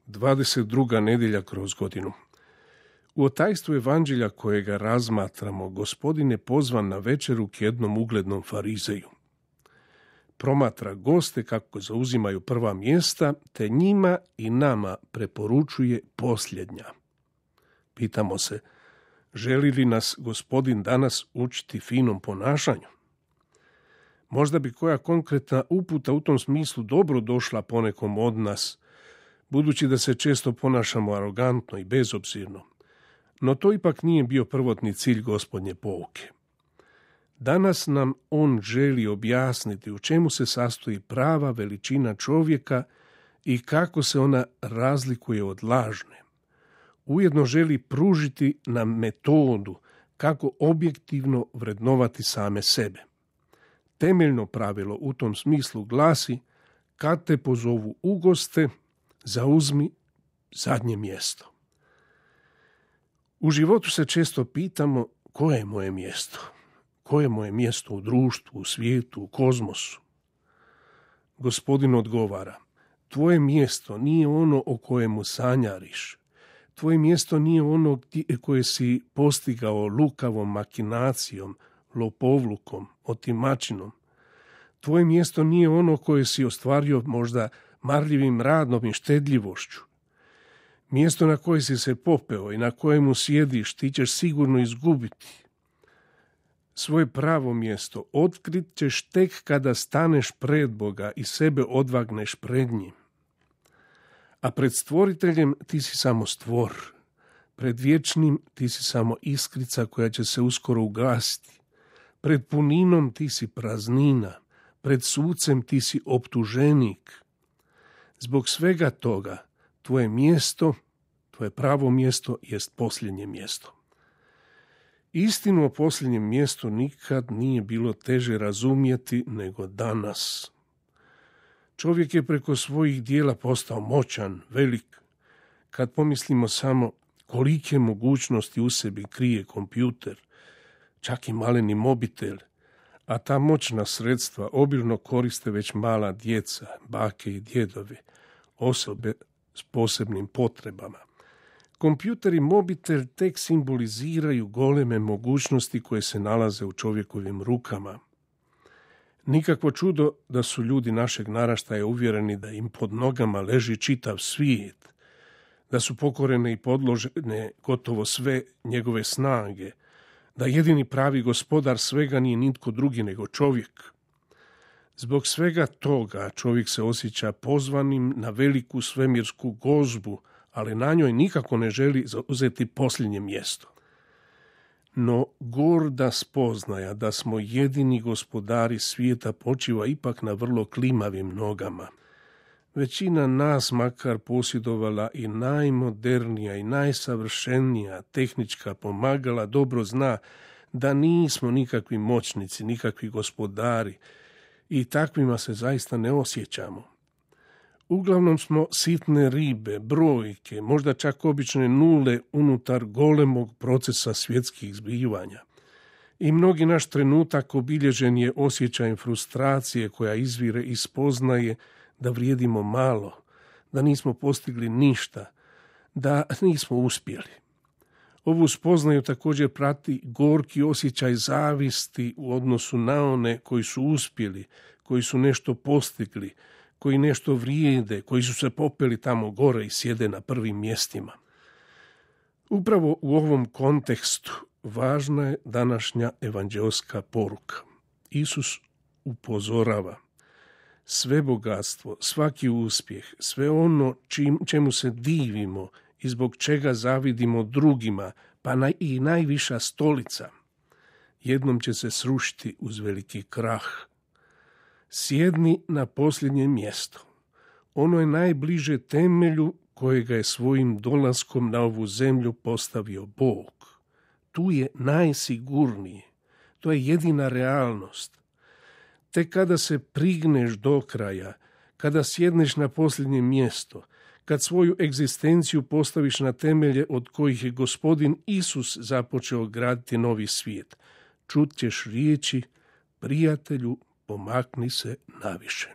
22. nedjelja kroz godinu. U otajstvu evanđelja kojega razmatramo, Gospodin je pozvan na večeru k jednom uglednom farizeju. Promatra goste kako zauzimaju prva mjesta, te njima i nama preporučuje posljednja. Pitamo se, želi li nas Gospodin danas učiti finom ponašanju? Možda bi koja konkretna uputa u tom smislu dobro došla ponekom od nas, budući da se često ponašamo arogantno i bezobzirno. No to ipak nije bio prvotni cilj Gospodnje pouke. Danas nam on želi objasniti u čemu se sastoji prava veličina čovjeka i kako se ona razlikuje od lažne. Ujedno želi pružiti nam metodu kako objektivno vrednovati same sebe. Temeljno pravilo u tom smislu glasi: kad te pozovu u goste, zauzmi zadnje mjesto. U životu se često pitamo koje je moje mjesto? Koje je moje mjesto u društvu, u svijetu, u kozmosu? Gospodin odgovara: tvoje mjesto nije ono o kojemu sanjariš. Tvoje mjesto nije ono koje si postigao lukavom makinacijom, lopovlukom, otimačinom. Tvoje mjesto nije ono koje si ostvario možda marljivim radom i štedljivošću. Mjesto na koje si se popeo i na kojemu sjediš ti ćeš sigurno izgubiti. Svoje pravo mjesto otkrit ćeš tek kada staneš pred Boga i sebe odvagneš pred njim. A pred stvoriteljem ti si samo stvor. Pred vječnim ti si samo iskrica koja će se uskoro ugasiti. Pred puninom ti si praznina. Pred sucem ti si optuženik. Zbog svega toga tvoje mjesto, tvoje pravo mjesto jest posljednje mjesto. Istinu o posljednjem mjestu nikad nije bilo teže razumjeti nego danas. Čovjek je preko svojih dijela postao moćan, velik. Kad pomislimo samo kolike mogućnosti u sebi krije kompjuter, čak i maleni mobitel, a ta moćna sredstva obilno koriste već mala djeca, bake i djedovi, osobe s posebnim potrebama. Kompjuter i mobitel tek simboliziraju goleme mogućnosti koje se nalaze u čovjekovim rukama. Nikakvo čudo da su ljudi našeg naraštaja uvjereni da im pod nogama leži čitav svijet, da su pokorene i podložene gotovo sve njegove snage, da jedini pravi gospodar svega nije nitko drugi nego čovjek. Zbog svega toga čovjek se osjeća pozvanim na veliku svemirsku gozbu, ali na njoj nikako ne želi zauzeti posljednje mjesto. No gorda spoznaja da smo jedini gospodari svijeta počiva ipak na vrlo klimavim nogama. Većina nas makar posjedovala i najmodernija i najsavršenija tehnička pomagala dobro zna da nismo nikakvi moćnici, nikakvi gospodari i takvima se zaista ne osjećamo. Uglavnom smo sitne ribe, brojke, možda čak obične nule unutar golemog procesa svjetskih zbivanja. I mnogi naš trenutak obilježen je osjećajem frustracije koja izvire iz spoznaje da vrijedimo malo, da nismo postigli ništa, da nismo uspjeli. Ovu spoznaju također prati gorki osjećaj zavisti u odnosu na one koji su uspjeli, koji su nešto postigli, koji nešto vrijede, koji su se popeli tamo gore i sjede na prvim mjestima. Upravo u ovom kontekstu važna je današnja evanđeoska poruka. Isus upozorava: sve bogatstvo, svaki uspjeh, sve ono čemu se divimo i zbog čega zavidimo drugima, pa i najviša stolica, jednom će se srušiti uz veliki krah. Sjedni na posljednje mjesto. Ono je najbliže temelju kojega je svojim dolaskom na ovu zemlju postavio Bog. Tu je najsigurnije. To je jedina realnost. Te kada se prigneš do kraja, kada sjedneš na posljednje mjesto, kad svoju egzistenciju postaviš na temelje od kojih je Gospodin Isus započeo graditi novi svijet, čut ćeš riječi: prijatelju, pomakni se naviše.